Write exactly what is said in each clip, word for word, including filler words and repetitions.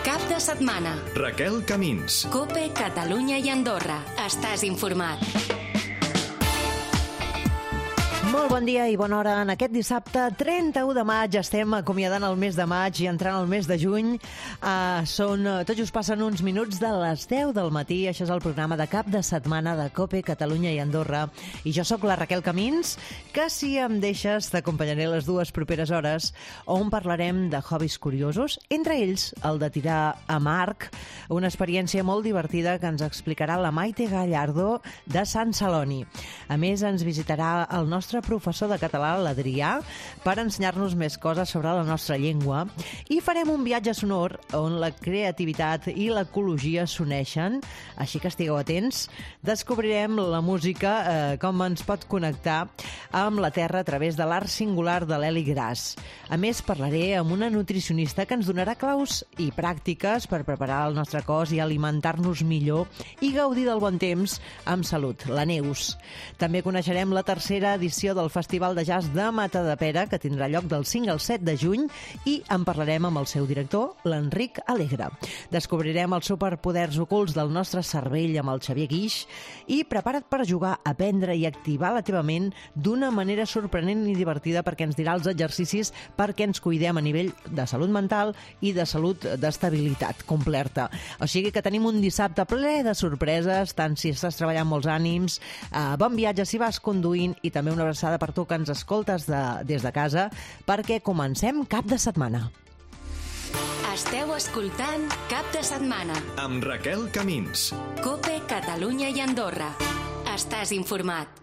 Cap de setmana. Raquel Camins. COPE, Catalunya i Andorra. Estàs informat. Molt bon dia i bona hora. En aquest dissabte trenta-u de maig estem acomiadant el mes de maig i entrant al mes de juny. Uh, són, tot just passen uns minuts de les deu del matí. Això és el programa de cap de setmana de COPE, Catalunya i Andorra. I jo sóc la Raquel Camins, que si em deixes t'acompanyaré les dues properes hores on parlarem de hobbies curiosos, entre ells el de tirar a marc, una experiència molt divertida que ens explicarà la Maite Gallardo de Sant Celoni. A més, ens visitarà el nostre professor de català, l'Adrià, per ensenyar-nos més coses sobre la nostra llengua, i farem un viatge sonor on la creativitat i l'ecologia s'uneixen, així que estigueu atents. Descobrirem la música, eh, com ens pot connectar amb la Terra a través de l'art singular de l'Eli Gras. A més, parlaré amb una nutricionista que ens donarà claus i pràctiques per preparar el nostre cos i alimentar-nos millor i gaudir del bon temps amb salut, la Neus. També coneixerem la tercera edició del Festival de Jazz de Matadepera, que tindrà lloc del cinc al set de juny, i en parlarem amb el seu director, l'Enric Alegre. Descobrirem els superpoders ocults del nostre cervell amb el Xavier Guix i prepara't per jugar, aprendre i activar la teva ment d'una manera sorprenent i divertida, perquè ens dirà els exercicis perquè ens cuidem a nivell de salut mental i de salut d'estabilitat completa. O sigui que tenim un dissabte ple de sorpreses, tant si estàs treballant molts ànims, eh, bon viatge si vas conduint, i també una abraçada per tu que ens escoltes de, des de casa, perquè comencem cap de setmana. Esteu escoltant Cap de setmana. Amb Raquel Camins. COPE, Catalunya i Andorra. Estàs informat.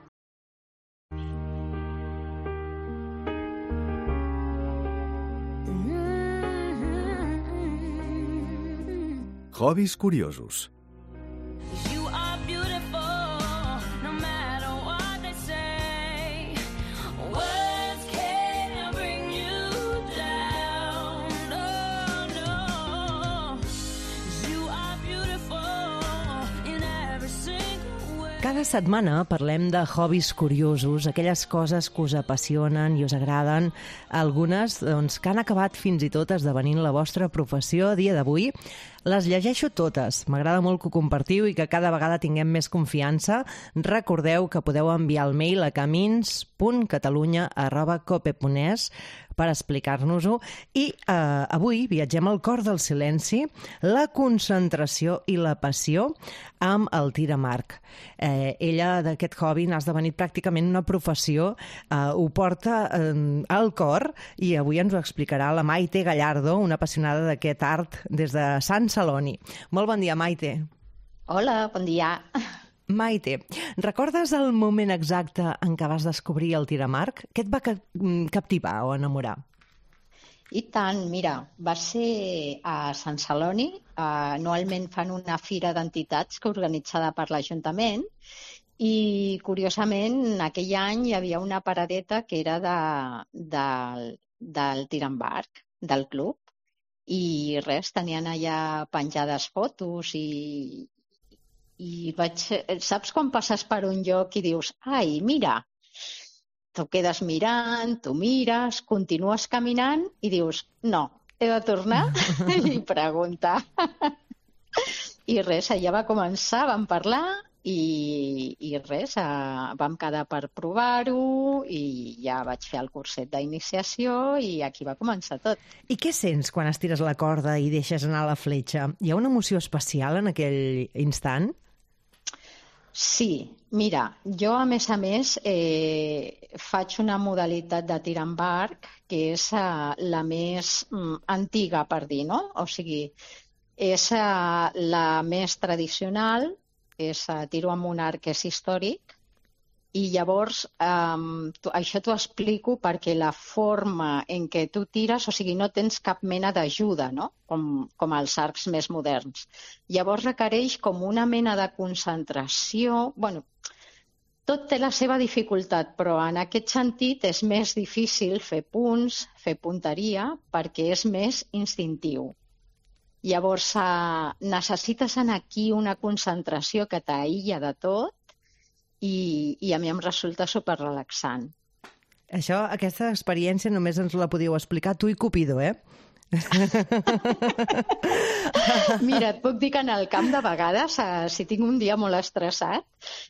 Hobbies curiosos. Cada setmana parlem de hobbies curiosos, aquelles coses que us apassionen i us agraden, algunes doncs, que han acabat fins i tot esdevenint la vostra professió a dia d'avui. Les llegeixo totes, m'agrada molt que ho compartiu i que cada vegada tinguem més confiança. Recordeu que podeu enviar el mail a camins punt catalunya arroba cope punt es per explicar-nos-ho. I eh, avui viatgem al cor del silenci, la concentració i la passió amb el tir a marc. Eh, ella d'aquest hobby n'ha esdevenit pràcticament una professió, eh, ho porta eh, al cor, i avui ens ho explicarà la Maite Gallardo, una apassionada d'aquest art des de Sant Celoni. Molt bon dia, Maite. Hola, bon dia. Maite, recordes el moment exacte en què vas descobrir el tir a marc? Què et va captivar o enamorar? I tant, mira, va ser a Sant Celoni. Anualment fan una fira d'entitats que organitzada per l'Ajuntament, i curiosament aquell any hi havia una paradeta que era de, de, del tir amb arc del club, i res, tenien allà penjades fotos i, i vaig... Saps quan passes per un lloc i dius, ai, mira, tu quedes mirant, tu mires, continues caminant i dius, no, he de tornar i preguntar. I res, allà va començar, vam parlar i, i res, eh, vam quedar per provar-ho i ja vaig fer el curset d'iniciació i aquí va començar tot. I què sents quan estires la corda i deixes anar la fletxa? Hi ha una emoció especial en aquell instant? Sí, mira, jo a més a més eh, faig una modalitat de tir amb arc que és eh, la més mm, antiga, per dir, no? O sigui, és eh, la més tradicional, és eh, tiro amb un arc que és històric, i llavors um, tu, això t'ho explico perquè la forma en què tu tires, o sigui, no tens cap mena d'ajuda, no? Com, com els arcs més moderns. Llavors requereix com una mena de concentració. Bueno, tot té la seva dificultat, però en aquest sentit és més difícil fer punts, fer punteria, perquè és més instintiu. Llavors eh, necessites en aquí una concentració que t'aïlla de tot, I, i a mi em resulta superrelaxant. Això, aquesta experiència només ens la podíeu explicar tu i Cupido, eh? Mira, et puc dir que en el camp de vegades, eh, si tinc un dia molt estressat,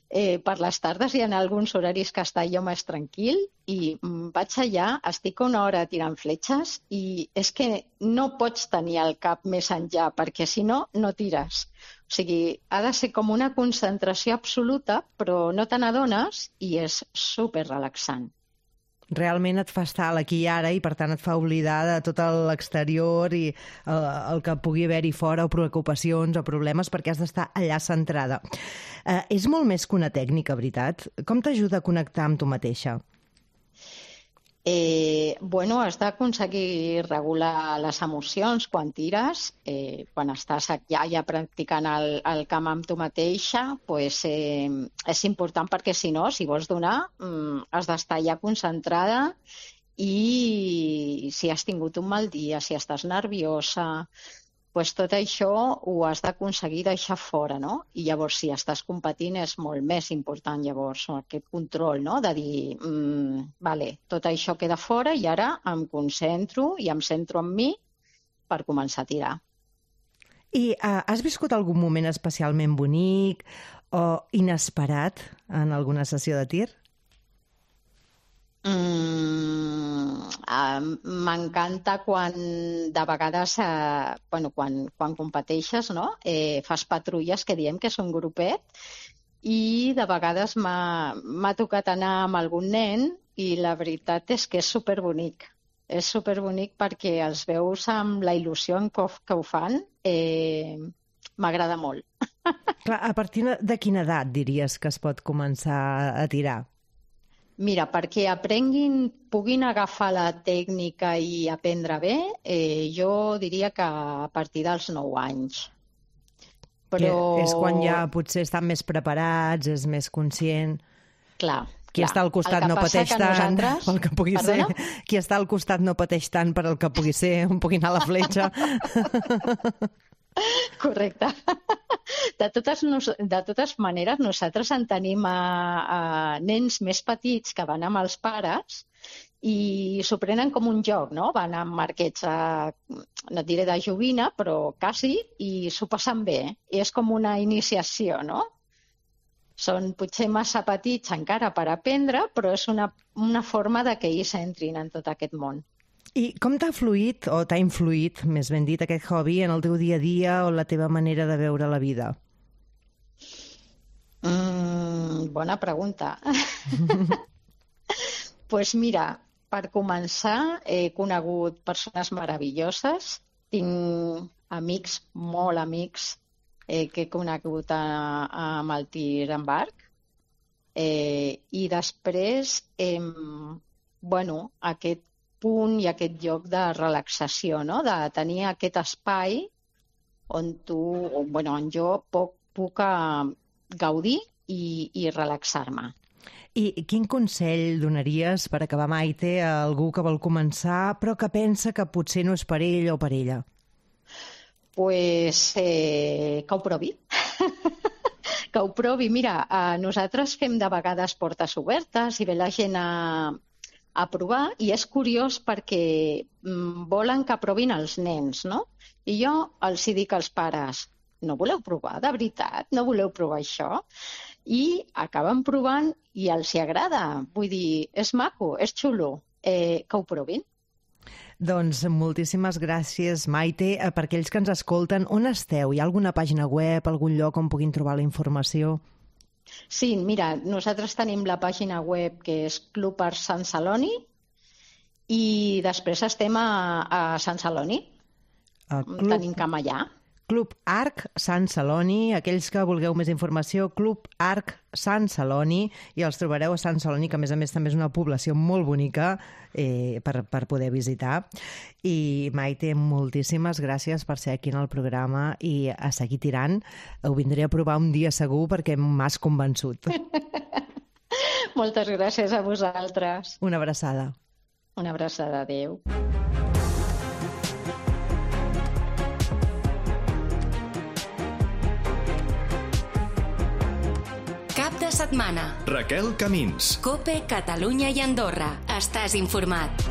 eh, per les tardes hi ha alguns horaris que està jo més tranquil i mm, vaig allà, estic una hora tirant fletxes i és que no pots tenir el cap més enllà perquè si no, no tires. O sigui, ha de ser com una concentració absoluta, però no te n'adones i és super relaxant. Realment et fa estar a l'aquí i ara i, per tant, et fa oblidar de tot l'exterior i el, el que pugui haver-hi fora o preocupacions o problemes perquè has d'estar allà centrada. Eh, és molt més que una tècnica, veritat? Com t'ajuda a connectar amb tu mateixa? Eh, bueno, has d'aconseguir regular les emocions quan tires, eh, quan estàs ja, ja practicant el, el camp amb tu mateixa, pues, eh, és important perquè si no, si vols donar, mm, has d'estar ja concentrada i si has tingut un mal dia, si estàs nerviosa, pues tot això ho has d'aconseguir deixar fora, no? I llavors, si estàs competint, és molt més important, llavors, aquest control, no? De dir, mmm, vale, tot això queda fora i ara em concentro i em centro en mi per començar a tirar. I uh, has viscut algun moment especialment bonic o inesperat en alguna sessió de tir? Mm, uh, m'encanta quan de vegades uh, bueno, quan, quan competeixes, no? eh, fas patrulles que diem que és un grupet i de vegades m'ha tocat anar amb algun nen i la veritat és que és superbonic. És superbonic perquè els veus amb la il·lusió que, que ho fan, eh, m'agrada molt. Clar, a partir de quina edat diries que es pot començar a tirar? Mira, perquè aprenguin, puguin agafar la tècnica i aprendre bé, eh, jo diria que a partir dels nou anys. Però... És quan ja potser estan més preparats, és més conscient... Clar, Qui clar. està al costat no pateix tant nosaltres... pel que pugui Perdona? ser. Qui està al costat no pateix tant per el que pugui ser, on pugui anar la fletxa. Correcte. De totes, de totes maneres, nosaltres en tenim a, a nens més petits que van amb els pares i s'ho prenen com un joc, no? Van amb marquets, a, no et diré de joguina, però quasi, i s'ho passen bé. I és com una iniciació, no? Són potser massa petits encara per aprendre, però és una, una forma de que ells entrin en tot aquest món. I com t'ha fluït, o t'ha influït, més ben dit, aquest hobby en el teu dia a dia o la teva manera de veure la vida? Mm, bona pregunta. Pues mira, per començar, he conegut persones meravelloses. Tinc amics, molt amics, eh, que he conegut a, a, amb el tir en barc. Eh, I després, eh, bueno, aquest punt i aquest lloc de relaxació, no? De tenir aquest espai on tu, o, bueno, on jo puc, puc uh, gaudir i, i relaxar-me. I quin consell donaries per acabar, Maite, a algú que vol començar però que pensa que potser no és per ell o per ella? Pues eh, que ho provi. Que ho provi. Mira, eh, nosaltres fem de vegades portes obertes i ve la gent a a provar i és curiós perquè mm, volen que provin els nens, no? I jo els hi dic als pares, no voleu provar, de veritat? No voleu provar això? I acaben provant i els hi agrada. Vull dir, és maco, és xulo, eh, que ho provin. Doncs moltíssimes gràcies, Maite. Per aquells que ens escolten, on esteu? Hi ha alguna pàgina web, algun lloc on puguin trobar la informació? Sí, mira, nosaltres tenim la pàgina web que és Club Arc Sant Celoni i després estem a, a Sant Celoni. Club... Tenim camp allà. Club Arc Sant Celoni, aquells que vulgueu més informació, Club Arc Sant Celoni, i els trobareu a Sant Celoni, que a més a més també és una població molt bonica eh, per, per poder visitar. I Maite, moltíssimes gràcies per ser aquí en el programa i a seguir tirant. Ho vindré a provar un dia segur perquè m'has convençut. Moltes gràcies a vosaltres. Una abraçada. Una abraçada, adéu. De setmana. Raquel Camins. COPE, Catalunya i Andorra. Estàs informat.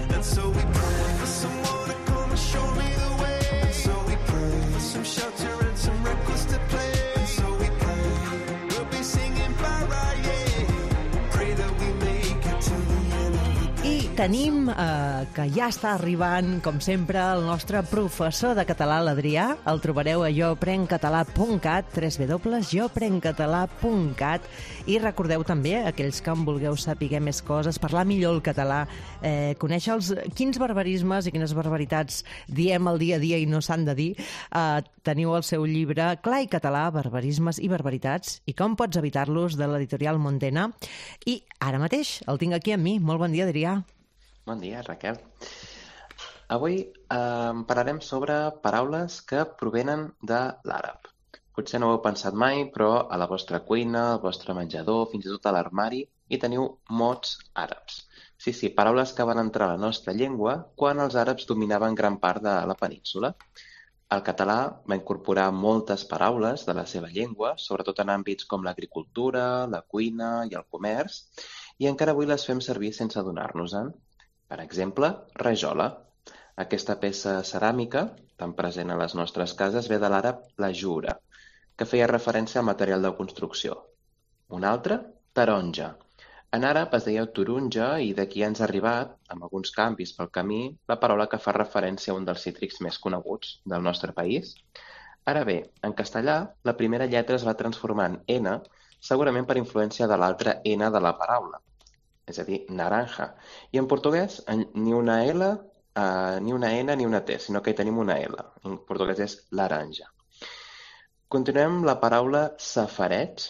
tenim eh, que ja està arribant, com sempre, el nostre professor de català, l'Adrià. El trobareu a jo prenc català punt cat, w w w punt jo prenc català punt cat. I recordeu també, aquells que en vulgueu saber més coses, parlar millor el català, eh, conèixer els, quins barbarismes i quines barbaritats diem al dia a dia i no s'han de dir, eh, teniu el seu llibre Clar i català, barbarismes i barbaritats, i com pots evitar-los, de l'editorial Montena. I ara mateix el tinc aquí amb mi. Molt bon dia, Adrià. Bon dia, Raquel. Avui eh, parlarem sobre paraules que provenen de l'àrab. Potser no ho heu pensat mai, però a la vostra cuina, al vostre menjador, fins i tot a l'armari, hi teniu mots àrabs. Sí, sí, paraules que van entrar a la nostra llengua quan els àrabs dominaven gran part de la península. El català va incorporar moltes paraules de la seva llengua, sobretot en àmbits com l'agricultura, la cuina i el comerç, i encara avui les fem servir sense adonar-nos-en. Per exemple, rajola. Aquesta peça ceràmica, tan present a les nostres cases, ve de l'àrab la jura, que feia referència al material de construcció. Una altra, taronja. En àrab es deia turunja i d'aquí ens ha arribat, amb alguns canvis pel camí, la paraula que fa referència a un dels cítrics més coneguts del nostre país. Ara bé, en castellà, la primera lletra es va transformar en N, segurament per influència de l'altra N de la paraula, és a dir, naranja. I en portuguès, ni una L, uh, ni una N, ni una T, sinó que hi tenim una L. En portuguès és laranja. Continuem la paraula safareig.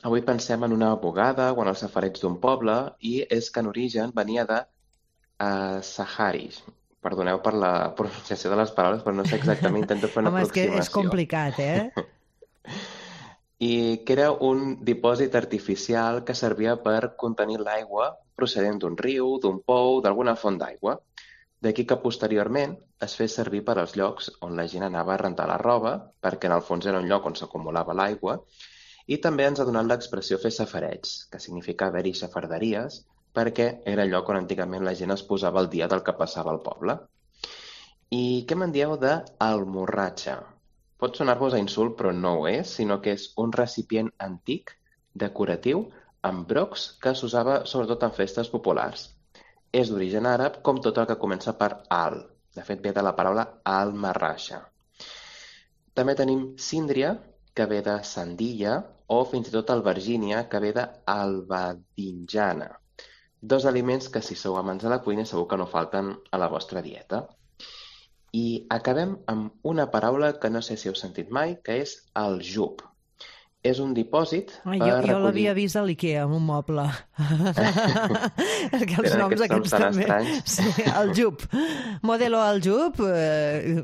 Avui pensem en una bugada o en els safareig d'un poble i és que en origen venia de uh, sahari. Perdoneu per la pronunciació de les paraules, però no sé exactament, intento fer una Home, aproximació. Home, és que és complicat, eh? I que era un dipòsit artificial que servia per contenir l'aigua procedent d'un riu, d'un pou, d'alguna font d'aigua. D'aquí que posteriorment es fes servir per als llocs on la gent anava a rentar la roba, perquè en el fons era un lloc on s'acumulava l'aigua, i també ens ha donat l'expressió fer safareig, que significa haver-hi xafarderies, perquè era el lloc on antigament la gent es posava al dia del que passava al poble. I què me'n dieu d'almorratxa? Pot sonar-vos a insult, però no ho és, sinó que és un recipient antic, decoratiu, amb brocs que s'usava sobretot en festes populars. És d'origen àrab, com tot el que comença per al. De fet, ve de la paraula al-marrasha. També tenim síndria, que ve de sandilla, o fins i tot albergínia, que ve d'albadinjana. Dos aliments que, si sou amants de la cuina, segur que no falten a la vostra dieta. I acabem amb una paraula que no sé si heu sentit mai, que és el jub. És un dipòsit Ai, per jo, recollir... Jo l'havia vist a l'Ikea, amb un moble. que els Tenen noms aquests aquests noms tan també. estranys. Sí, el jub. Modelo al jub. Eh...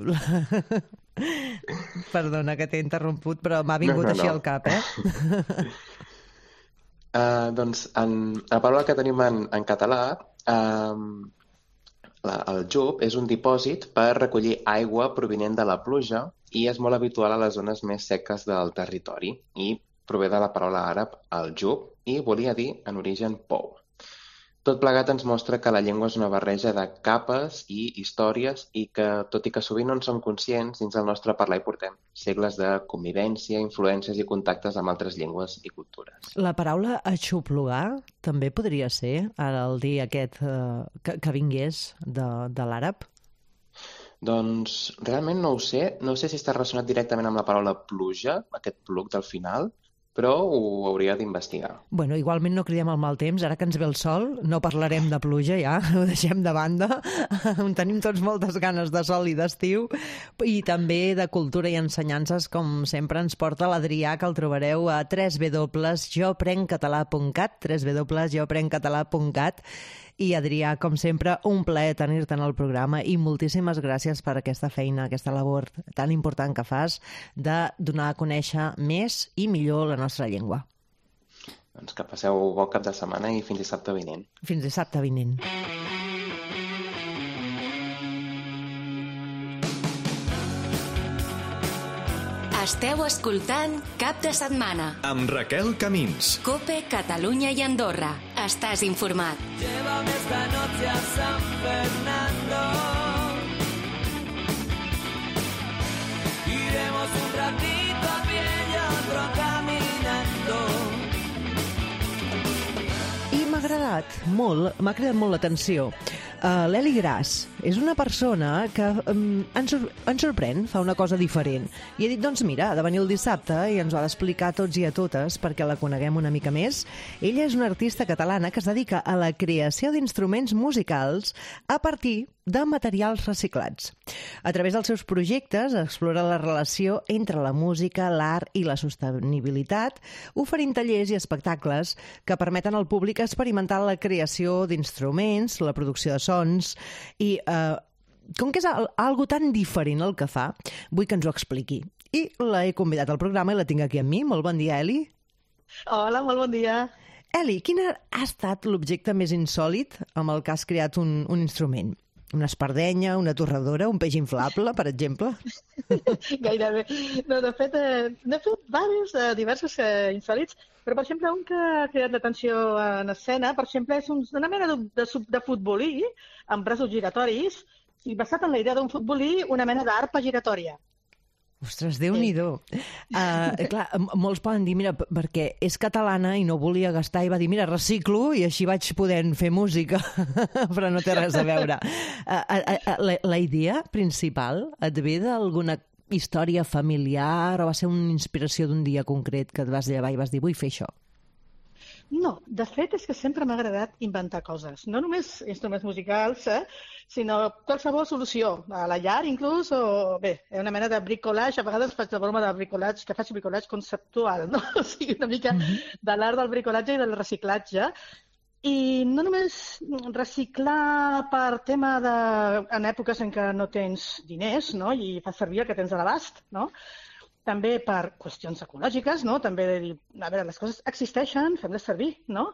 Perdona que t'he interromput, però m'ha vingut no, no, així no. al cap, eh? uh, doncs, en, la paraula que tenim en, en català... Uh, La, el jub és un dipòsit per recollir aigua provinent de la pluja i és molt habitual a les zones més seques del territori i prové de la paraula àrab al jub i volia dir en origen pou. Tot plegat ens mostra que la llengua és una barreja de capes i històries i que, tot i que sovint no en som conscients, dins del nostre parlar hi portem segles de convivència, influències i contactes amb altres llengües i cultures. La paraula aixoplugar també podria ser, ara el dia aquest eh, que, que vingués de, de l'àrab? Doncs realment no ho sé. No sé si està relacionat directament amb la paraula pluja, aquest pluc del final, però ho hauria d'investigar. Bueno, igualment no cridem el mal temps. Ara que ens ve el sol, no parlarem de pluja ja, ho deixem de banda. Tenim tots moltes ganes de sol i d'estiu i també de cultura i ensenyances, com sempre ens porta l'Adrià, que el trobareu a w w w punt jo prenc català punt cat, w w w punt jo prenc català punt cat. I Adrià, com sempre, un plaer tenir-te en el programa i moltíssimes gràcies per aquesta feina, aquesta labor tan important que fas de donar a conèixer més i millor la nostra llengua. Doncs que passeu bon cap de setmana i fins dissabte vinent. Fins dissabte vinent. Esteu escoltant Cap de Setmana amb Raquel Camins. Cope, Catalunya i Andorra. Estàs informat. Llévame esta noche a San Fernando. Iremos un ratito a pie y otro caminando. agradat molt, m'ha cridat molt l'atenció. Uh, L'Eli Gras és una persona que um, ens, sor ens sorprèn, fa una cosa diferent. I he dit, doncs mira, ha de venir el dissabte i ens ho ha d'explicar a tots i a totes perquè la coneguem una mica més. Ella és una artista catalana que es dedica a la creació d'instruments musicals a partir de materials reciclats. A través dels seus projectes explora la relació entre la música, l'art i la sostenibilitat, oferint tallers i espectacles que permeten al públic experimentar la creació d'instruments, la producció de sons i, eh, com que és al algo tan diferent el que fa, vull que ens ho expliqui. I l'he convidat al programa i la tinc aquí amb mi. Molt bon dia, Eli. Hola, molt bon dia. Eli, quin ha estat l'objecte més insòlit amb el que has creat un, un instrument? Una espardenya, una torradora, un peix inflable, per exemple? Gairebé. No, de fet, eh, n'he fet diversos, eh, diversos eh, insòlits, però, per exemple, un que ha cridat l'atenció en escena, per exemple, és un, una mena de, de, de futbolí amb braços giratoris i basat en la idea d'un futbolí, una mena d'arpa giratòria. Ostres, Déu-n'hi-do. Uh, clar, molts poden dir, mira, perquè és catalana i no volia gastar, i va dir, mira, reciclo i així vaig podent fer música, però no té res a veure. Uh, uh, uh, la, la idea principal et ve d'alguna història familiar o va ser una inspiració d'un dia concret que et vas llevar i vas dir, vull fer això? No, de fet és que sempre m'ha agradat inventar coses. No només instruments musicals, eh, sinó qualsevol solució. A la llar, inclús, o bé, una mena de bricolage. A vegades faig la broma de bricolage, que faig bricolage conceptual, no? O sigui, una mica mm-hmm. de l'art del bricolatge i del reciclatge. I no només reciclar per tema de... en èpoques en què no tens diners, no? I fas servir el que tens a l'abast, no? També per qüestions ecològiques, no? També de dir, a veure, les coses existeixen, fem-les servir, no?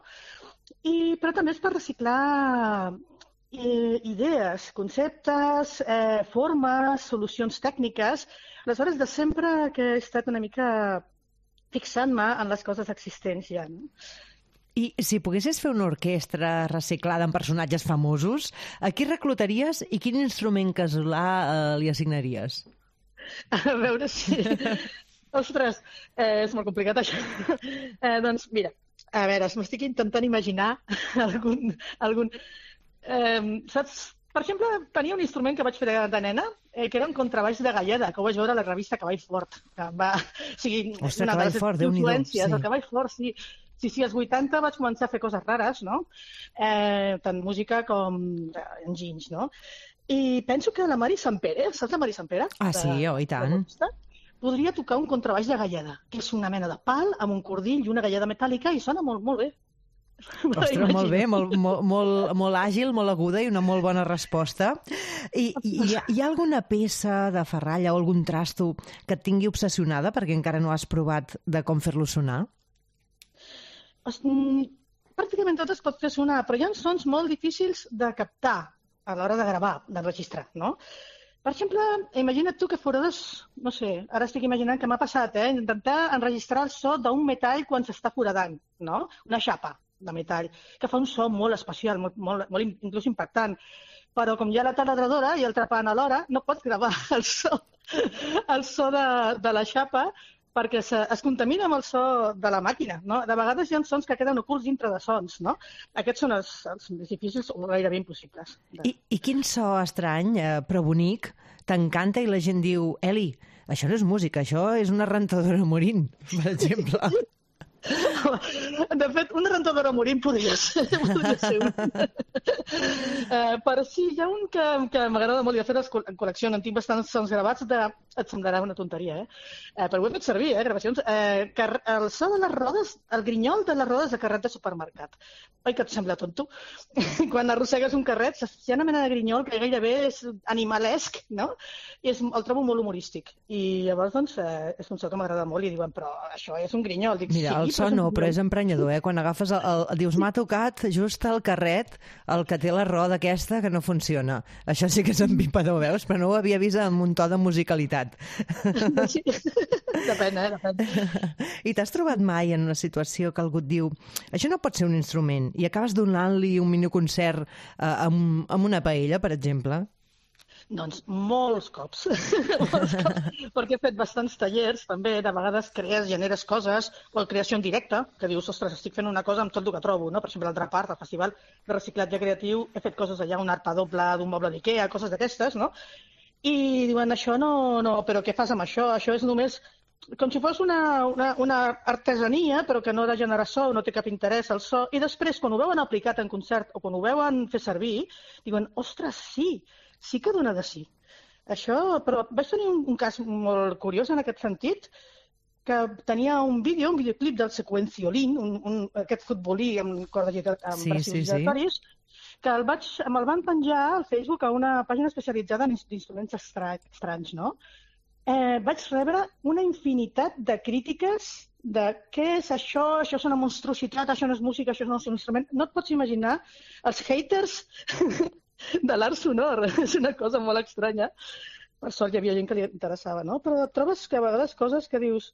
I, però també és per reciclar eh, idees, conceptes, eh, formes, solucions tècniques. Aleshores, de sempre que he estat una mica fixant-me en les coses existents ja, no? I si poguessis fer una orquestra reciclada amb personatges famosos, a qui reclutaries i quin instrument casolà eh, li assignaries? A veure si... Ostres, eh, és molt complicat això. Eh, doncs mira, a veure, m'estic intentant imaginar algun... algun eh, saps? Per exemple, tenia un instrument que vaig fer de, de nena, eh, que era un contrabaix de Galleda, que ho vaig veure a la revista Cavall Fort. Que va... O sigui, Ostres, Cavall Fort, Déu-n'hi-do. Sí. El Cavall Fort, sí. Sí, sí, als vuitanta vaig començar a fer coses rares, no? Eh, tant música com enginys, no? I penso que la Mari Sampere, saps la Mari Sampere? Ah, sí, oh, i tant. Podria tocar un contrabaix de Galleda, que és una mena de pal amb un cordill i una galleda metàl·lica i sona molt, molt bé. Ostres, molt bé, molt, molt, molt, molt àgil, molt aguda i una molt bona resposta. I, i hi, ha, hi ha alguna peça de ferralla o algun trasto que et tingui obsessionada perquè encara no has provat de com fer-lo sonar? Pràcticament tot es pot fer sonar, però hi ha sons molt difícils de captar a l'hora de gravar, d'enregistrar, no? Per exemple, imagina't tu que forades, no sé, ara estic imaginant que m'ha passat, eh? Intentar enregistrar el so d'un metall quan s'està foradant, no? Una xapa de metall, que fa un so molt especial, molt, molt, molt inclús impactant. Però com hi ha la taladradora i el trepant alhora, no pots gravar el so, el so de, de la xapa, perquè se, es contamina amb el so de la màquina, no? De vegades hi ha sons que queden ocults dintre de sons, no? Aquests són els, els més difícils o gairebé impossibles. De... I, I quin so estrany, eh, però bonic, t'encanta i la gent diu, Eli, això no és música, això és una rentadora morint, per exemple. De fet, una rentadora morint podria ser, podria ser un. uh, però sí, hi ha un que, que m'agrada molt, i de fet en col·lecció en tinc bastants sons gravats de... Et semblarà una tonteria, eh? Uh, però ho he fet servir, eh, gravacions. Uh, car... El so de les rodes, el grinyol de les rodes de carret de supermercat. Oi que et sembla tonto? Quan arrossegues un carret, hi ha una mena de grinyol que gairebé és animalesc, no? I és, el trobo molt humorístic. I llavors, doncs, uh, és un so que m'agrada molt i diuen, però això és un grinyol. Dic, Mira, sí, el so no, però és emprenyador, eh? Quan agafes el, el, dius, m'ha tocat just el carret, el que té la roda aquesta que no funciona. Això sí que és empipador, veus? Però no ho havia vist amb un to de musicalitat. Sí. Depèn, eh? Depèn. I t'has trobat mai en una situació que algú et diu això no pot ser un instrument i acabes donant-li un miniconcert eh, amb, amb una paella, per exemple? Doncs molts cops. molts cops, perquè he fet bastants tallers, també, de vegades crees, generes coses, o creació en directe, que dius, ostres, estic fent una cosa amb tot el que trobo, no? Per exemple, l'altra part, al Festival de Reciclatge Creatiu, he fet coses allà, un arpa doble d'un moble d'Ikea, coses d'aquestes, no? I diuen, això no, no, però què fas amb això? Això és només com si fos una, una, una artesania, però que no ha de generar so, no té cap interès al so, i després, quan ho veuen aplicat en concert o quan ho veuen fer servir, diuen, ostres, sí, sí que dona de sí. Això, però vaig tenir un, un cas molt curiós en aquest sentit, que tenia un vídeo, un videoclip del Sequenciolín, un, un, aquest futbolí amb corda amb sí, braços sí, giratoris, sí. que el vaig, me'l van penjar al Facebook a una pàgina especialitzada en instruments estranys, no? Eh, vaig rebre una infinitat de crítiques de què és això, això és una monstruositat, això no és música, això no és un instrument. No et pots imaginar els haters de l'art sonor. És una cosa molt estranya. Per sort hi havia gent que li interessava, no? Però trobes que a vegades coses que dius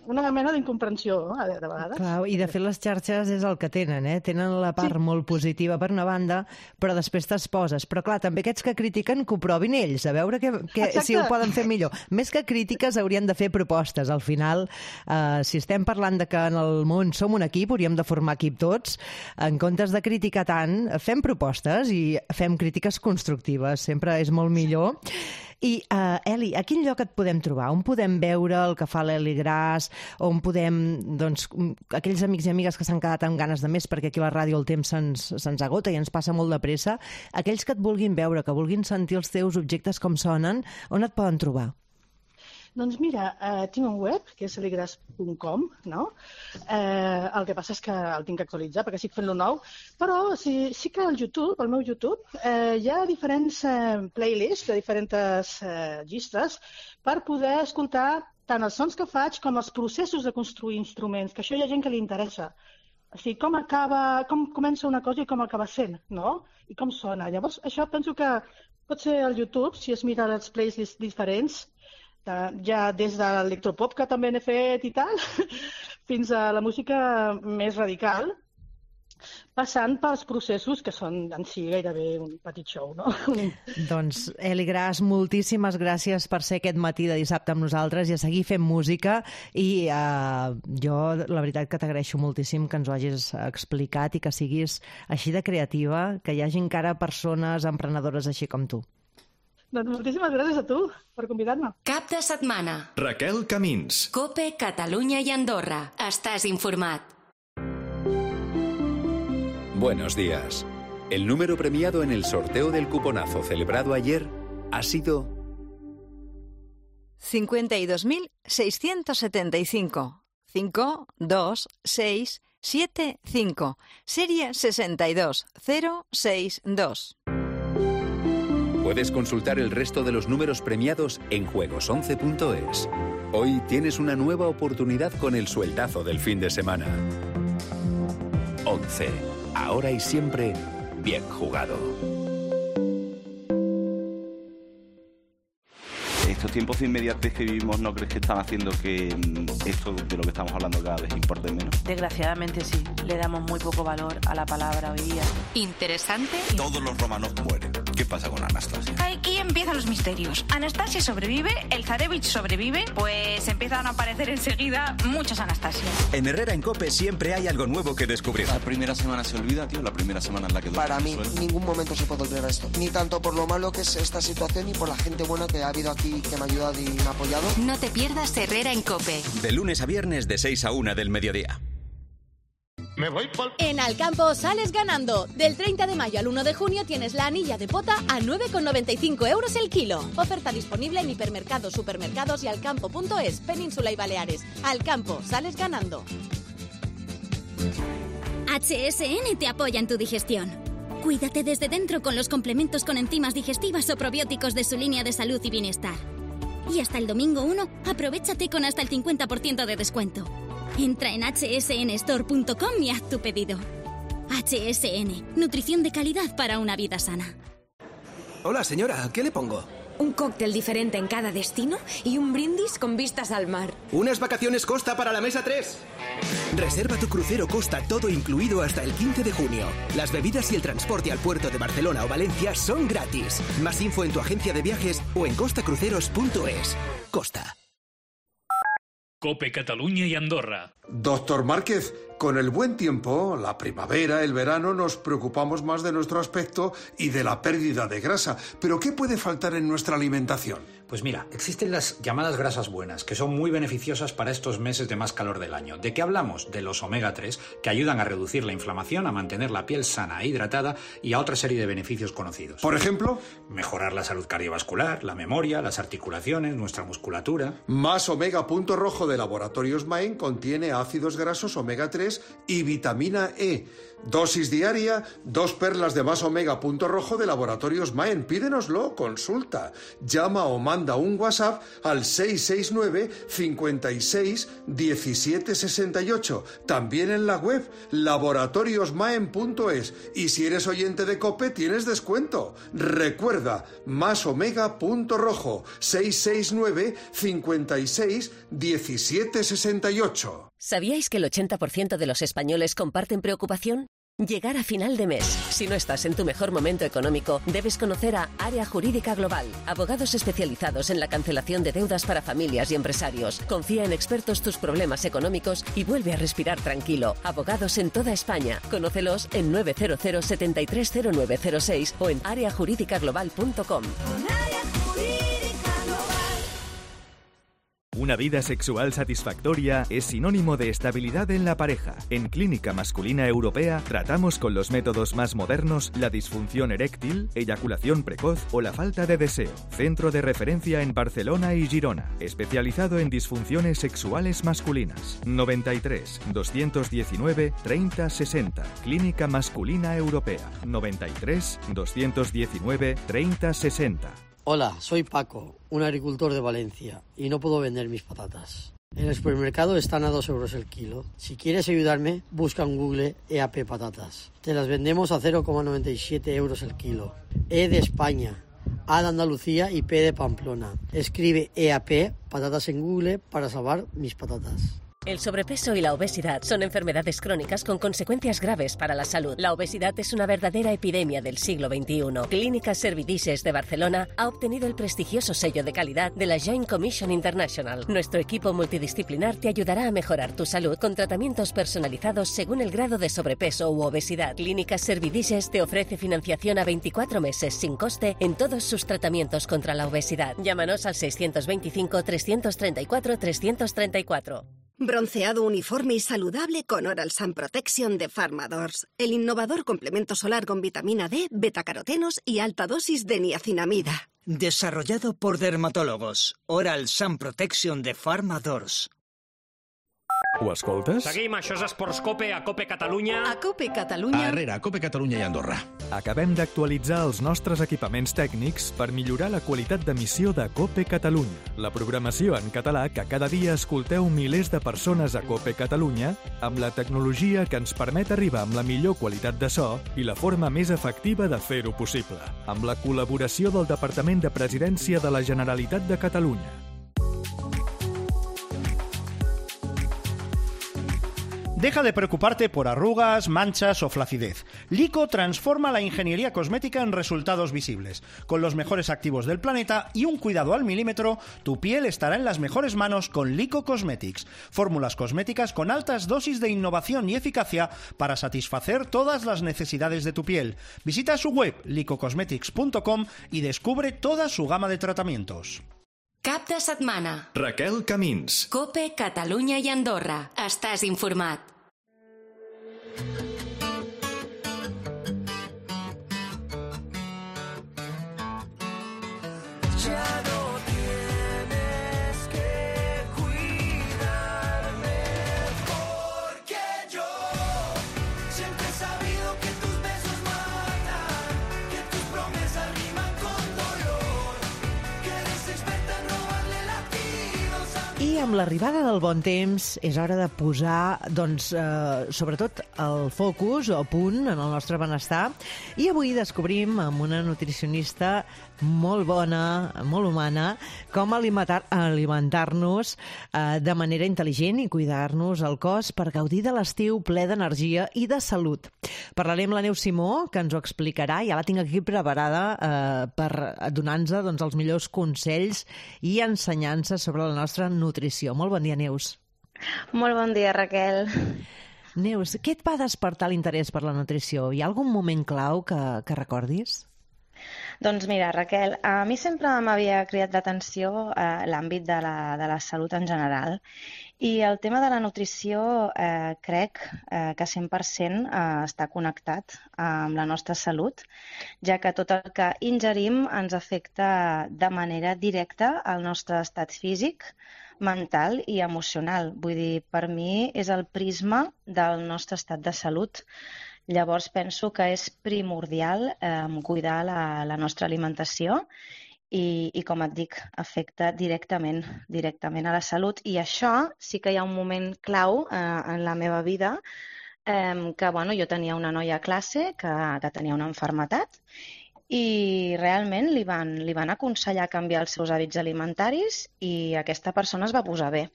una mena d'incomprensió, no? De vegades. Clar, i de fet les xarxes és el que tenen, eh? Tenen la part sí. molt positiva per una banda, però després t'exposes. Però clar, també aquests que critiquen que ho provin ells, a veure que, que, si ho poden fer millor. Més que crítiques haurien de fer propostes. Al final, eh, si estem parlant de que en el món som un equip, hauríem de formar equip tots, en comptes de criticar tant, fem propostes i fem crítiques constructives. Sempre és molt millor. I, uh, Eli, a quin lloc et podem trobar? On podem veure el que fa l'Eli Gras? On podem, doncs, aquells amics i amigues que s'han quedat amb ganes de més, perquè aquí a la ràdio el temps se'ns se'ns agota i ens passa molt de pressa, aquells que et vulguin veure, que vulguin sentir els teus objectes com sonen, on et poden trobar? Doncs mira, eh, tinc un web, que és eligras punt com, no? Eh, el que passa és que el tinc que actualitzar, perquè estic fent-lo nou, però sí, sí que al YouTube, al meu YouTube, eh, hi ha diferents eh, playlists de diferents eh, llistes per poder escoltar tant els sons que faig com els processos de construir instruments, que això hi ha gent que li interessa. O sigui, com acaba, com comença una cosa i com acaba sent, no? I com sona. Llavors, això penso que pot ser al YouTube, si es mira els playlists diferents, ja des de l'electropop, que també n'he fet i tal, fins a la música més radical, passant pels processos que són en si gairebé un petit show, no? Doncs, Eli Gras, moltíssimes gràcies per ser aquest matí de dissabte amb nosaltres i a seguir fent música, i uh, jo la veritat que t'agraeixo moltíssim que ens ho hagis explicat i que siguis així de creativa, que hi hagi encara persones emprenedores així com tu. Doncs moltíssimes gràcies a tu per convidar-me. Cap de setmana. Raquel Camins. COPE, Catalunya i Andorra. Estàs informat. Buenos días. El número premiado en el sorteo del cuponazo celebrado ayer ha sido cincuenta y dos mil seiscientos setenta y cinco. cinco, dos, seis, siete, cinco. Serie sesenta y dos cero seis dos. Puedes consultar el resto de los números premiados en juegos once punto es. Hoy tienes una nueva oportunidad con el sueltazo del fin de semana. once. Ahora y siempre, bien jugado. Estos tiempos de inmediatez que vivimos, ¿no crees que están haciendo que esto de lo que estamos hablando cada vez importe menos? Desgraciadamente sí, le damos muy poco valor a la palabra hoy día. Interesante. Todos los romanos mueren. ¿Qué pasa con Anastasia? Aquí empiezan los misterios. Anastasia sobrevive, el Zarevich sobrevive, pues empiezan a aparecer enseguida muchas Anastasias. En Herrera en COPE siempre hay algo nuevo que descubrir. La primera semana se olvida, tío, la primera semana en la que... Para mí, en ningún momento se puede olvidar esto. Ni tanto por lo malo que es esta situación, ni por la gente buena que ha habido aquí, que me ha ayudado y me ha apoyado. No te pierdas Herrera en COPE. De lunes a viernes de seis a una del mediodía. Me voy por... En Alcampo sales ganando. Del treinta de mayo al uno de junio tienes la anilla de pota a nueve con noventa y cinco euros el kilo. Oferta disponible en hipermercados, supermercados y alcampo punto es, Península y Baleares. Alcampo, sales ganando. H S N te apoya en tu digestión. Cuídate desde dentro con los complementos con enzimas digestivas o probióticos de su línea de salud y bienestar. Y hasta el domingo uno, aprovéchate con hasta el cincuenta por ciento de descuento. Entra en h s n store punto com y haz tu pedido. H S N, nutrición de calidad para una vida sana. Hola, señora, ¿qué le pongo? Un cóctel diferente en cada destino y un brindis con vistas al mar. Unas vacaciones Costa para la mesa tres. Reserva tu crucero Costa todo incluido hasta el quince de junio. Las bebidas y el transporte al puerto de Barcelona o Valencia son gratis. Más info en tu agencia de viajes o en costa cruceros punto es. Costa. COPE Cataluña y Andorra. Doctor Márquez, con el buen tiempo, la primavera, el verano, nos preocupamos más de nuestro aspecto y de la pérdida de grasa. ¿Pero qué puede faltar en nuestra alimentación? Pues mira, existen las llamadas grasas buenas, que son muy beneficiosas para estos meses de más calor del año. ¿De qué hablamos? De los omega tres, que ayudan a reducir la inflamación, a mantener la piel sana e hidratada y a otra serie de beneficios conocidos. ¿Por ejemplo? Mejorar la salud cardiovascular, la memoria, las articulaciones, nuestra musculatura. Más Omega Punto Rojo de Laboratorios Maen contiene ácidos grasos omega tres y vitamina E. Dosis diaria, dos perlas de Más Omega Punto Rojo de Laboratorios Maen. Pídenoslo, consulta. Llama o manda un WhatsApp al seis seis nueve, cincuenta y seis, diecisiete sesenta y ocho. También en la web laboratorios maen punto es. Y si eres oyente de COPE, tienes descuento. Recuerda, Más Omega Punto Rojo, seis seis nueve, cincuenta y seis, diecisiete sesenta y ocho. ¿Sabíais que el ochenta por ciento de los españoles comparten preocupación? Llegar a final de mes. Si no estás en tu mejor momento económico, debes conocer a Área Jurídica Global, abogados especializados en la cancelación de deudas para familias y empresarios. Confía en expertos tus problemas económicos y vuelve a respirar tranquilo. Abogados en toda España. Conócelos en nueve cero cero, setenta y tres cero nueve cero seis o en área jurídica global punto com. Una vida sexual satisfactoria es sinónimo de estabilidad en la pareja. En Clínica Masculina Europea tratamos con los métodos más modernos la disfunción eréctil, eyaculación precoz o la falta de deseo. Centro de referencia en Barcelona y Girona, especializado en disfunciones sexuales masculinas. noventa y tres, doscientos diecinueve, treinta sesenta. Clínica Masculina Europea. noventa y tres, doscientos diecinueve, treinta sesenta. Hola, soy Paco, un agricultor de Valencia, y no puedo vender mis patatas. En el supermercado están a dos euros el kilo. Si quieres ayudarme, busca en Google E A P Patatas. Te las vendemos a cero coma noventa y siete euros el kilo. E de España, A de Andalucía y P de Pamplona. Escribe E A P Patatas en Google para salvar mis patatas. El sobrepeso y la obesidad son enfermedades crónicas con consecuencias graves para la salud. La obesidad es una verdadera epidemia del siglo veintiuno. Clínica Servidices de Barcelona ha obtenido el prestigioso sello de calidad de la Joint Commission International. Nuestro equipo multidisciplinar te ayudará a mejorar tu salud con tratamientos personalizados según el grado de sobrepeso u obesidad. Clínica Servidices te ofrece financiación a veinticuatro meses sin coste en todos sus tratamientos contra la obesidad. Llámanos al seiscientos veinticinco, trescientos treinta y cuatro, trescientos treinta y cuatro. Bronceado uniforme y saludable con Oral Sun Protection de Pharmadors. El innovador complemento solar con vitamina D, betacarotenos y alta dosis de niacinamida. Desarrollado por dermatólogos. Oral Sun Protection de Pharmadors. Ho escoltes? Seguim, això és Esports Cope, a Cope Catalunya. A Cope Catalunya. Arrere, a Cope Catalunya i Andorra. Acabem d'actualitzar els nostres equipaments tècnics per millorar la qualitat d'emissió de Cope Catalunya. La programació en català que cada dia escolteu milers de persones a Cope Catalunya amb la tecnologia que ens permet arribar amb la millor qualitat de so i la forma més efectiva de fer-ho possible. Amb la col·laboració del Departament de Presidència de la Generalitat de Catalunya. Deja de preocuparte por arrugas, manchas o flacidez. Lico transforma la ingeniería cosmética en resultados visibles. Con los mejores activos del planeta y un cuidado al milímetro, tu piel estará en las mejores manos con Lico Cosmetics. Fórmulas cosméticas con altas dosis de innovación y eficacia para satisfacer todas las necesidades de tu piel. Visita su web lico cosmetics punto com y descubre toda su gama de tratamientos. Cap de setmana. Raquel Camins. Cope Catalunya i Andorra. Estàs informat. Ya no tienes que cuidarme, porque yo siempre he sabido que tus besos matan, que tus promesas riman con dolor, que eres experta en robarle latidos a... I I amb l'arribada del bon temps és hora de posar, doncs, eh, sobretot el focus o punt en el nostre benestar. I avui descobrim amb una nutricionista molt bona, molt humana, com alimentar, alimentar-nos eh, de manera intel·ligent i cuidar-nos el cos per gaudir de l'estiu ple d'energia i de salut. Parlaré amb la Neus Simó, que ens ho explicarà. Ja la tinc aquí preparada eh, per donar-nos doncs, els millors consells i ensenyances sobre la nostra nutrició. Molt bon dia, Neus. Molt bon dia, Raquel. Neus, què et va despertar l'interès per la nutrició? Hi ha algun moment clau que, que recordis? Doncs mira, Raquel, a mi sempre m'havia cridat l'atenció eh, l'àmbit de, la, de la salut en general i el tema de la nutrició eh, crec eh, que cent per cent eh, està connectat amb la nostra salut, ja que tot el que ingerim ens afecta de manera directa al nostre estat físic, mental i emocional. Vull dir, per mi és el prisma del nostre estat de salut. Llavors penso que és primordial eh, cuidar la, la nostra alimentació i, i, com et dic, afecta directament, directament a la salut. I això sí que hi ha un moment clau eh, en la meva vida, eh, que bueno, jo tenia una noia a classe que, que tenia una malaltia i realment li van, li van aconsellar canviar els seus hàbits alimentaris i aquesta persona es va posar bé.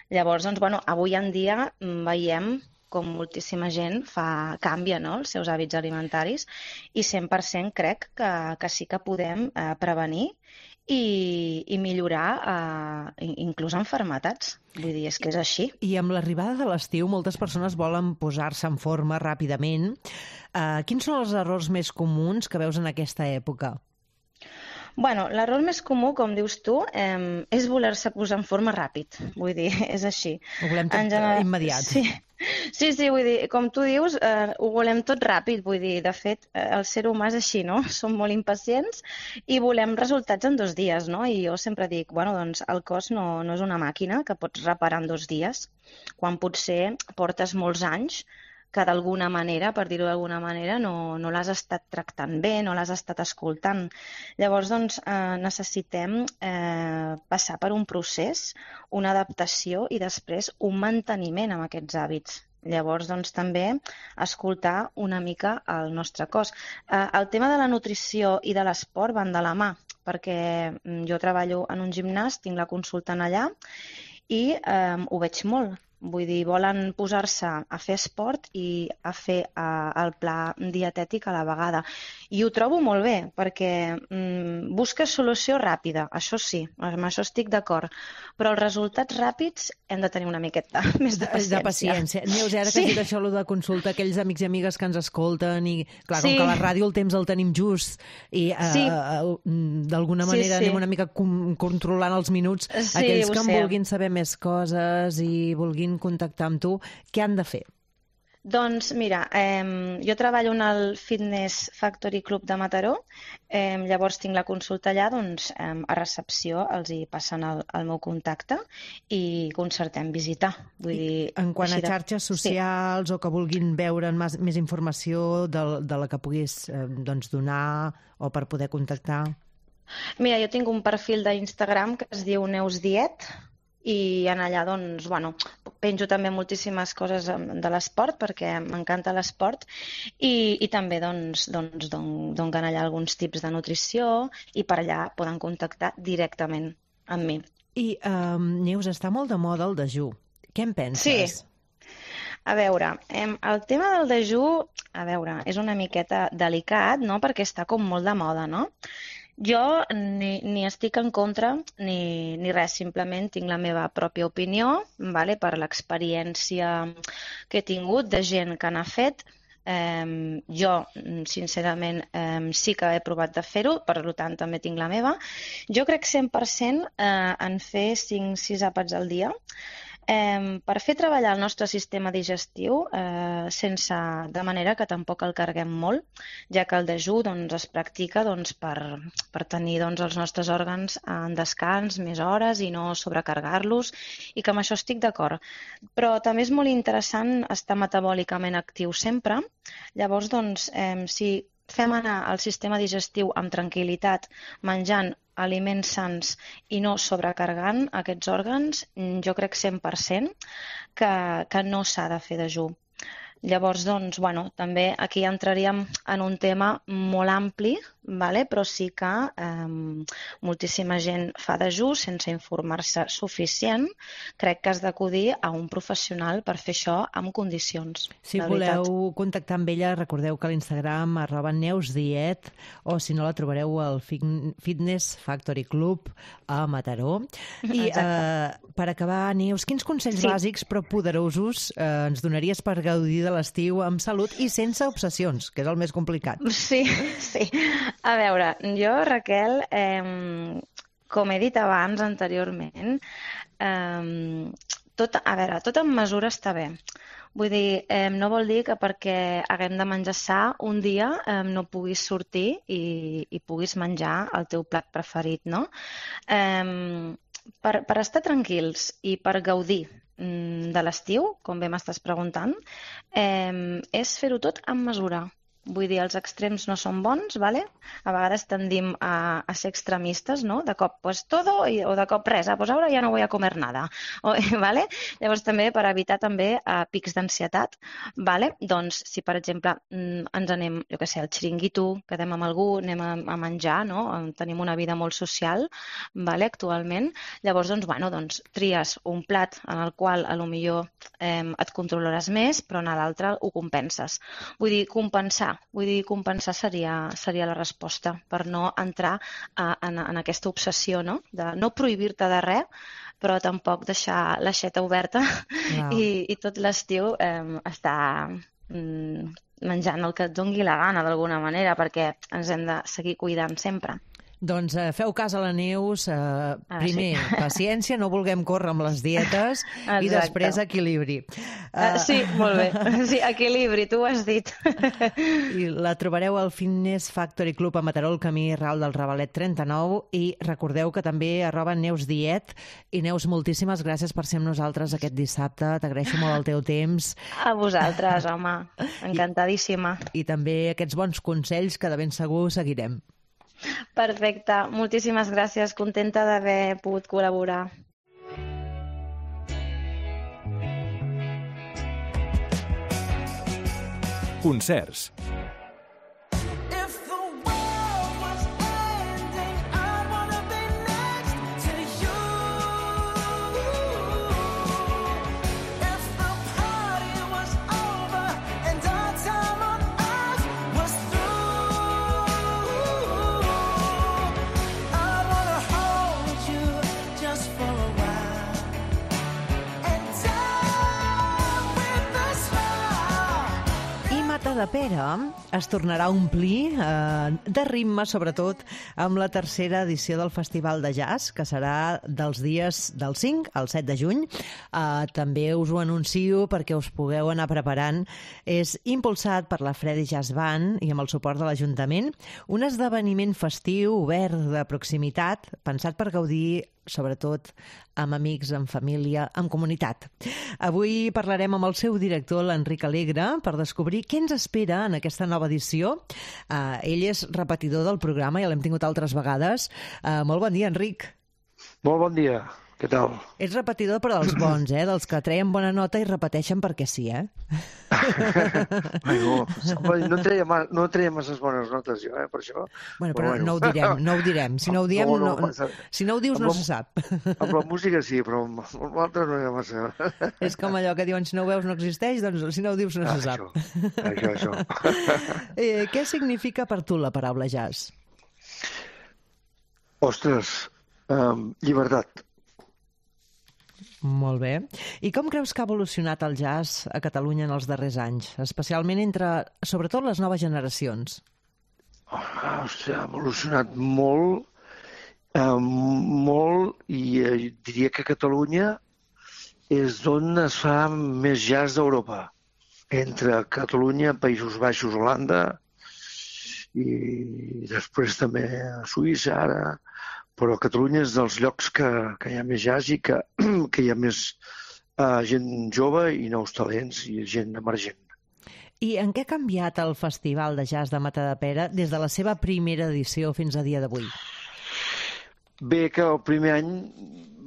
Llavors, doncs, bueno, avui en dia veiem com moltíssima gent fa, canvia no, els seus hàbits alimentaris i cent per cent crec que, que sí que podem eh, prevenir i, i millorar eh, inclús malalties. Vull dir, és que és així. I amb l'arribada de l'estiu moltes persones volen posar-se en forma ràpidament. Eh, quins són els errors més comuns que veus en aquesta època? Bueno, l'error més comú, com dius tu, eh, és voler-se posar en forma ràpid. Vull dir, és així. Ho volem tot general... immediat. Sí. Sí, sí, vull dir, com tu dius, eh, ho volem tot ràpid, vull dir, de fet, eh, el ser humà és així, no? Som molt impacients i volem resultats en dos dies, no? I jo sempre dic, bueno, doncs el cos no, no és una màquina que pots reparar en dos dies, quan potser portes molts anys que d'alguna manera, per dir-ho d'alguna manera, no, no l'has estat tractant bé, no l'has estat escoltant. Llavors, doncs, eh, necessitem eh, passar per un procés, una adaptació i després un manteniment amb aquests hàbits. Llavors, doncs, també escoltar una mica el nostre cos. Eh, el tema de la nutrició i de l'esport van de la mà, perquè jo treballo en un gimnàs, tinc la consulta en allà i eh, ho veig molt. Vull dir, volen posar-se a fer esport i a fer uh, el pla dietètic a la vegada. I ho trobo molt bé, perquè mm, busques solució ràpida, això sí, amb això estic d'acord, però els resultats ràpids hem de tenir una miqueta més de paciència. De paciència. Neus, ara que sí. has dit això de consulta, aquells amics i amigues que ens escolten, i clar, com sí. que a la ràdio el temps el tenim just, i uh, sí. uh, d'alguna manera sí, sí. anem una mica com, controlant els minuts, sí, aquells que en sé. vulguin saber més coses i vulguin contactar amb tu, què han de fer? Doncs mira, eh, jo treballo en el Fitness Factory Club de Mataró, eh, llavors tinc la consulta allà, doncs eh, a recepció els hi passen el, el meu contacte i concertem visitar. Vull dir, en quant a xarxes socials sí. o que vulguin veure més, més informació de, de la que puguis eh, doncs, donar o per poder contactar? Mira, jo tinc un perfil d'Instagram que es diu Neus Diet, i en allà doncs, bueno, penjo també moltíssimes coses de l'esport perquè m'encanta l'esport i, i també doncs, doncs, donen allà alguns tips de nutrició i per allà poden contactar directament amb mi. I um, Neus, està molt de moda el dejú. Què en penses? Sí. A veure, el tema del dejú, a veure, és una miqueta delicat, no?, perquè està com molt de moda, no? Jo ni, ni estic en contra ni, ni res, simplement tinc la meva pròpia opinió, vale? Per l'experiència que he tingut de gent que n'ha fet. Eh, jo, sincerament, eh, sí que he provat de fer-ho, per tant també tinc la meva. Jo crec cent per cent eh, en fer cinc sis àpats al dia, eh, per fer treballar el nostre sistema digestiu eh, sense, de manera que tampoc el carreguem molt, ja que el dejú doncs, es practica doncs, per, per tenir doncs, els nostres òrgans en descans més hores i no sobrecarregar-los, i que amb això estic d'acord. Però també és molt interessant estar metabòlicament actiu sempre. Llavors, doncs, eh, si fem anar el sistema digestiu amb tranquil·litat menjant aliments sants i no sobrecarregant aquests òrgans, jo crec cent per cent que, que no s'ha de fer dejú. Llavors, doncs, bueno, també aquí entraríem en un tema molt ampli, vale? Però sí que eh, moltíssima gent fa dejú sense informar-se suficient. Crec que has d'acudir a un professional per fer això amb condicions. Si voleu contactar amb ella, recordeu que a l'Instagram arroba neusdiet, o si no la trobareu al Fitness Factory Club a Mataró. I eh, per acabar, Neus, quins consells sí. bàsics però poderosos eh, ens donaries per gaudir de l'estiu amb salut i sense obsessions, que és el més complicat? Sí, sí. A veure, jo, Raquel, eh, com he dit abans, anteriorment, eh, tot, a veure, tot en mesura està bé. Vull dir, eh, no vol dir que perquè haguem de menjar sa un dia eh, no puguis sortir i, i puguis menjar el teu plat preferit, no? Eh, per, per estar tranquils i per gaudir de l'estiu, com bé m'estàs preguntant, eh, és fer-ho tot amb mesura. Vull dir, els extrems no són bons, ¿vale? A vegades tendim a, a ser extremistes, no? De cop, pues todo, i, o de cop res, ah, pues ara ja no voy a comer nada, o, ¿vale? Llavors també per evitar també uh, pics d'ansietat, ¿vale? Doncs si per exemple ens anem, jo què sé, al xiringuito, quedem amb algú, anem a, a menjar, no? Tenim una vida molt social, ¿vale? Actualment, llavors doncs, bueno, doncs tries un plat en el qual a lo millor eh, et controlaràs més, però en l'altre ho compenses. Vull dir, compensar Vull dir, compensar seria, seria la resposta per no entrar a, en, en aquesta obsessió, no? De no prohibir-te de res, però tampoc deixar l'aixeta oberta wow. i, i tot l'estiu eh, estar mm, menjant el que et dongui la gana d'alguna manera, perquè ens hem de seguir cuidant sempre. Doncs eh, feu cas a la Neus, eh, ah, primer sí. paciència, no vulguem córrer amb les dietes Exacte. I després equilibri. Uh, sí, molt bé, sí, equilibri, tu ho has dit. I la trobareu al Fitness Factory Club a Mataró, al camí Ral del Ravalet trenta-nou, i recordeu que també arroba neusdiet. I Neus, moltíssimes gràcies per ser amb nosaltres aquest dissabte, t'agraeixo molt el teu temps. A vosaltres, home, encantadíssima. I, i també aquests bons consells que de ben segur seguirem. Perfecte, moltíssimes gràcies, contenta d'haver pogut col·laborar. Concerts. Matadepera es tornarà a omplir eh, de ritme, sobretot amb la tercera edició del Festival de Jazz, que serà dels dies del cinc al set de juny. Eh, també us ho anuncio perquè us pugueu anar preparant. És impulsat per la Freddy Jazz Band i amb el suport de l'Ajuntament. Un esdeveniment festiu, obert, de proximitat, pensat per gaudir sobretot amb amics, amb família, amb comunitat. Avui parlarem amb el seu director, l'Enric Alegre, per descobrir què ens espera en aquesta nova edició. Uh, ell és repetidor del programa, ja l'hem tingut altres vegades. Uh, molt bon dia, Enric. Molt bon dia. Què tal? Ets repetidor però dels bons, eh? Dels que treien bona nota i repeteixen perquè sí, eh? Ai, no, no treia, no treia masses bones notes jo, eh, per això. Bueno, però, però bueno. no ho direm, no ho direm. Si no ho diem, no, no, no, si no ho dius no la, se sap. Amb la música sí, però amb l'altre no hi ha massa. És com allò que diuen, si no ho veus no existeix, doncs si no ho dius no ah, se sap. Això, això, això. Eh, què significa per tu la paraula jazz? Ostres, um, llibertat. Molt bé. I com creus que ha evolucionat el jazz a Catalunya en els darrers anys, especialment entre, sobretot, les noves generacions? Oh, hòstia, ha evolucionat molt, eh, molt, i eh, diria que Catalunya és on es fa més jazz d'Europa. Entre Catalunya, Països Baixos, Holanda, i després també a Suïssa, ara... Però Catalunya és dels llocs que, que hi ha més jazz i que, que hi ha més uh, gent jove i nous talents i gent emergent. I en què ha canviat el Festival de Jazz de Matadepera des de la seva primera edició fins a dia d'avui? Bé, que el primer any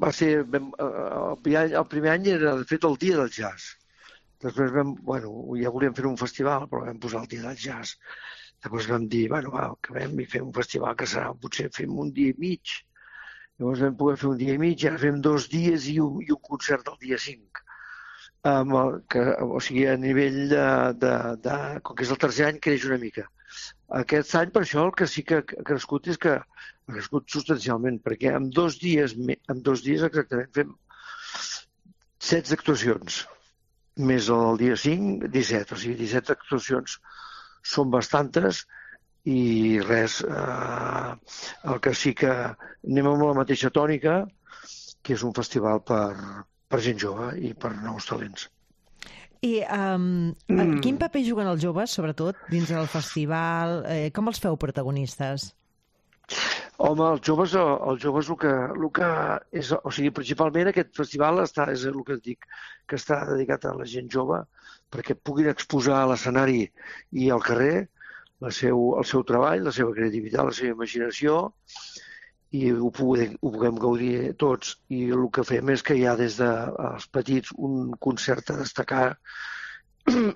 va ser... El primer any, el primer any era, de fet, el dia del jazz. Després vam... Bueno, ja volíem fer un festival, però vam posar el dia del jazz. Llavors vam dir, bueno, va, acabem i fem un festival que serà, potser fem un dia i mig. Llavors vam poder fer un dia i mig, ara fem dos dies i un, i un concert el dia cinc. Um, el, que, o sigui, a nivell de, de, de... Com que és el tercer any, creix una mica. Aquest any, per això, el que sí que ha crescut és que ha crescut substancialment, perquè en dos dies, en dos dies exactament fem setze actuacions, més el dia cinc, disset, o sigui, disset actuacions són bastantes i res, eh, el que sí que anem amb la mateixa tònica, que és un festival per, per gent jove i per nous talents. I um, mm. quin paper juguen els joves, sobretot, dins del festival? Eh, com els feu protagonistes? Home, els joves, els joves el que, el que és, o sigui, principalment aquest festival està, és el que et dic, que està dedicat a la gent jove, perquè puguin exposar a l'escenari i al carrer la seu, el seu treball, la seva creativitat, la seva imaginació, i ho puguem, ho puguem gaudir tots. I el que fem és que hi ha des dels petits un concert a destacar.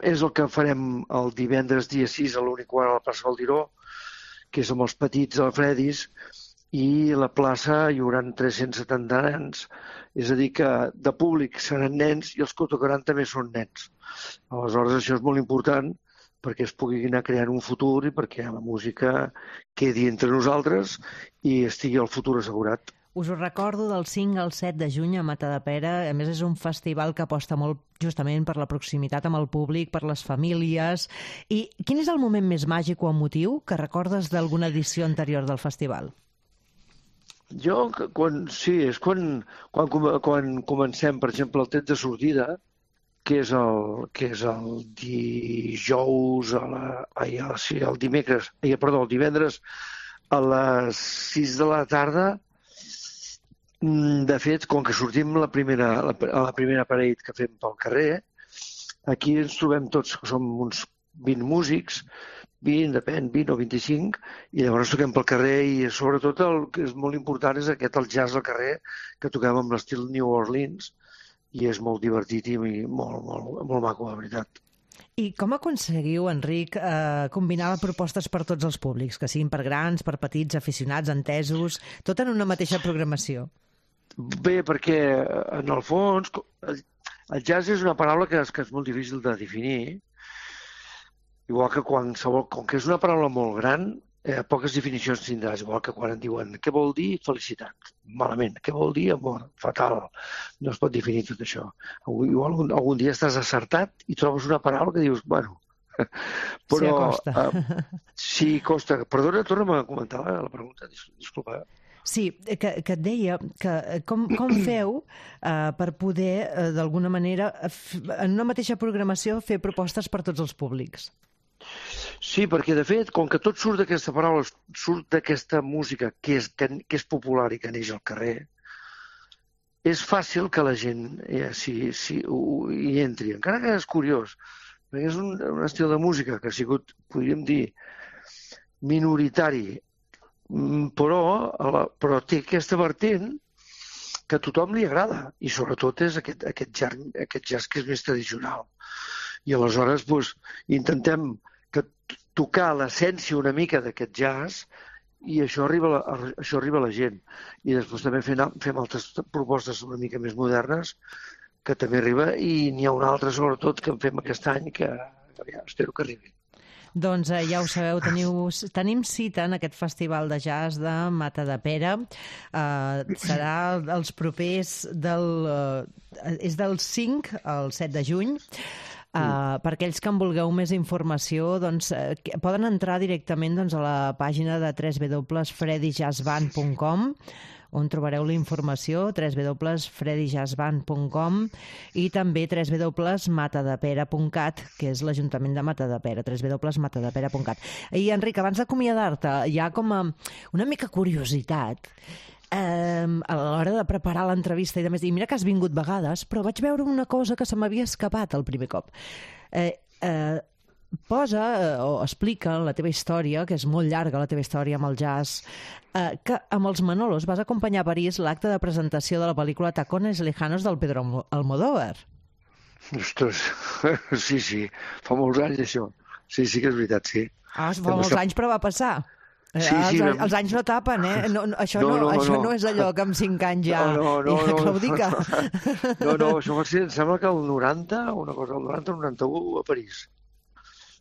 És el que farem el divendres dia sis a l'únic quart a la plaça Valdiró, que és amb els petits Alfredis, i a la plaça hi haurà tres-cents setanta nens. És a dir, que de públic seran nens i els que tocaran també són nens. Aleshores, això és molt important perquè es pugui anar creant un futur i perquè la música quedi entre nosaltres i estigui el futur assegurat. Us ho recordo, del cinc al set de juny a Matadepera. A més, és un festival que aposta molt justament per la proximitat amb el públic, per les famílies. I quin és el moment més màgic o emotiu que recordes d'alguna edició anterior del festival? Jo, quan, sí, és quan, quan, quan comencem, per exemple, el tret de sortida, que és el, que és el dijous, a la, ai, a, sí, el dimecres, ai, perdó, el divendres a les sis de la tarda. De fet, com que sortim la primera, la, a la primera parade que fem pel carrer, aquí ens trobem tots, que som uns vint músics, vint, depèn, vint o vint-i-cinc, i llavors toquem pel carrer i sobretot el que és molt important és aquest, el jazz al carrer, que toquem amb l'estil New Orleans, i és molt divertit i molt, molt, molt maco, la veritat. I com aconseguiu, Enric, eh, combinar propostes per tots els públics, que siguin per grans, per petits, aficionats, entesos, tot en una mateixa programació? Bé, perquè en el fons el, el jazz és una paraula que és, que és molt difícil de definir, igual que qualsevol, com que és una paraula molt gran, eh, poques definicions tindràs, igual que quan et diuen què vol dir felicitat, malament, què vol dir amor, fatal, no es pot definir tot això. Igual algun, algun dia estàs acertat i trobes una paraula que dius, bueno, però... Sí, costa. Uh, sí, costa. Perdona, torna'm a comentar la, la pregunta, disculpa. Sí, que, que et deia que com, com feu eh, per poder, eh, d'alguna manera, en una mateixa programació, fer propostes per tots els públics? Sí, perquè, de fet, com que tot surt d'aquesta paraula, surt d'aquesta música que és, que, que és popular i que neix al carrer, és fàcil que la gent eh, si, si, hi entri. Encara que és curiós, perquè és un, un estil de música que ha sigut, podríem dir, minoritari, però, la, però té aquesta vertent que a tothom li agrada, i sobretot és aquest, aquest, jazz, aquest jazz que és més tradicional. I aleshores doncs, intentem que tocar l'essència una mica d'aquest jazz i això arriba, a la, això arriba a la gent. I després també fem, fem altres propostes una mica més modernes que també arriba, i n'hi ha una altra sobretot que en fem aquest any que ja, espero que arribi. Doncs eh, ja ho sabeu, teniu, tenim cita en aquest festival de jazz de Matadepera. Eh, serà els propers del... Eh, és del cinc al set de juny. Uh, per aquells que en vulgueu més informació, doncs, uh, poden entrar directament doncs, a la pàgina de w w w punt freddy jazz band punt com, on trobareu la informació, w w w punt freddy jazz band punt com, i també w w w punt matadepera punt cat, que és l'Ajuntament de Matadepera, w w w punt matadepera punt cat. I, Enric, abans d'acomiadar-te, hi ha com a una mica curiositat eh, a l'hora de preparar l'entrevista i de més. I mira que has vingut vegades, però vaig veure una cosa que se m'havia escapat el primer cop. Eh, eh, posa eh, o explica la teva història, que és molt llarga la teva història amb el jazz, eh, que amb els Manolos vas acompanyar a París l'acte de presentació de la pel·lícula Tacones Lejanos del Pedro Almodóvar. Ostres, sí, sí, fa molts anys això. Sí, sí que és veritat, sí. Ah, fa molts anys, però va passar. Sí, sí, els, vam... els anys no tapen, eh? No, no, això no, no, no, això no. no és allò que amb cinc anys ja... No, no, no, ja claudica. No, no, això va ser, em sembla que el noranta, una cosa, el noranta o noranta-u a París.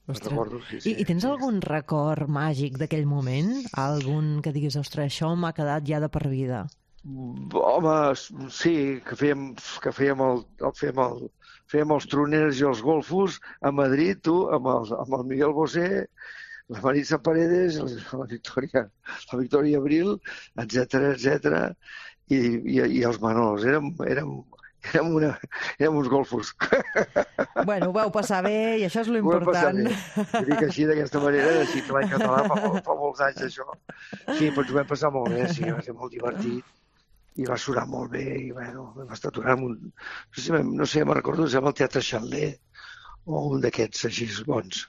Recordo, sí, sí. I, I tens algun record màgic d'aquell moment? Algun que diguis, ostres, això m'ha quedat ja de per vida? Home, sí, que fèiem, que fèiem, el, el, fèiem, el, fèiem els troners i els golfos a Madrid, tu, amb el, amb el Miguel Bosé, la Maritza Paredes, la Victòria, la Victòria Abril, etcètera, etcètera, i, i, i els Manols. Érem, érem, érem, una, érem uns golfos. Bueno, ho vau passar bé i això és l'important. Ho dic així, d'aquesta manera, així que l'any català fa, fa molts anys, això. Sí, però ens ho vam passar molt bé, sí, va ser molt divertit. I va sonar molt bé, i bueno, vam estar aturant un... No sé, no sé, me'n recordo, em sembla el Teatre Xaler, o un d'aquests així bons.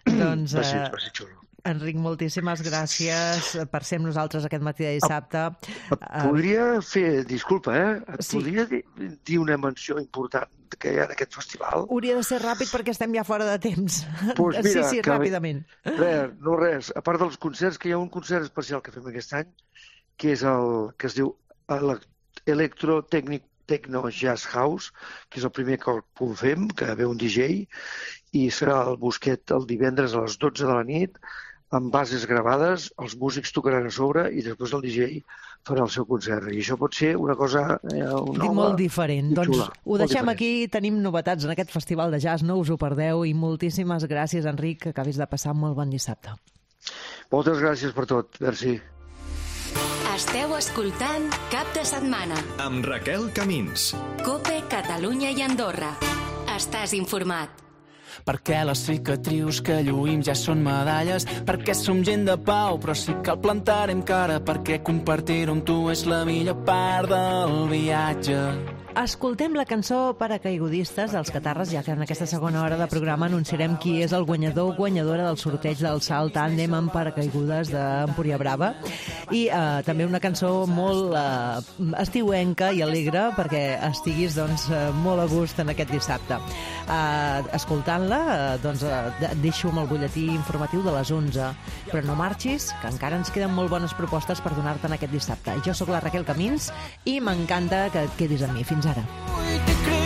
Doncs, va ser, va ser xulo. Enric, moltíssimes gràcies per ser amb nosaltres aquest matí de dissabte. Et podria fer, disculpa, eh? Et sí. podria dir, dir una menció important que hi ha en aquest festival? Hauria de ser ràpid perquè estem ja fora de temps. Pues mira, sí, sí, que, ràpidament. Res, no res. A part dels concerts, que hi ha un concert especial que fem aquest any, que és el que es diu Electrotècnic Techno Jazz House, que és el primer que ho fem, que ve un D J, i serà al Bosquet el divendres a les dotze de la nit, amb bases gravades, els músics tocaran a sobre i després el D J farà el seu concert. I això pot ser una cosa eh, una molt diferent. Doncs xula, ho deixem diferent. Aquí, tenim novetats en aquest festival de jazz, no us ho perdeu, i moltíssimes gràcies, Enric, que acabis de passar un molt bon dissabte. Moltes gràcies per tot, merci. Esteu escoltant Cap de Setmana amb Raquel Camins. COPE, Catalunya i Andorra. Estàs informat. Perquè les cicatrius que lluïm ja són medalles, perquè som gent de pau, però sí que el plantarem cara, perquè compartir-ho amb tu és la millor part del viatge. Escoltem la cançó Paracaigudistes dels Catarres, ja que en aquesta segona hora de programa anunciarem qui és el guanyador o guanyadora del sorteig del salt tàndem amb paracaigudes d'Empúria Brava. I eh, també una cançó molt eh, estiuenca i alegre perquè estiguis doncs, eh, molt a gust en aquest dissabte. Eh, escoltant-la, eh, doncs, eh, et deixo amb el butlletí informatiu de les onze. Però no marxis, que encara ens queden molt bones propostes per donar-te en aquest dissabte. Jo sóc la Raquel Camins i m'encanta que et quedis amb mi. Fins ara.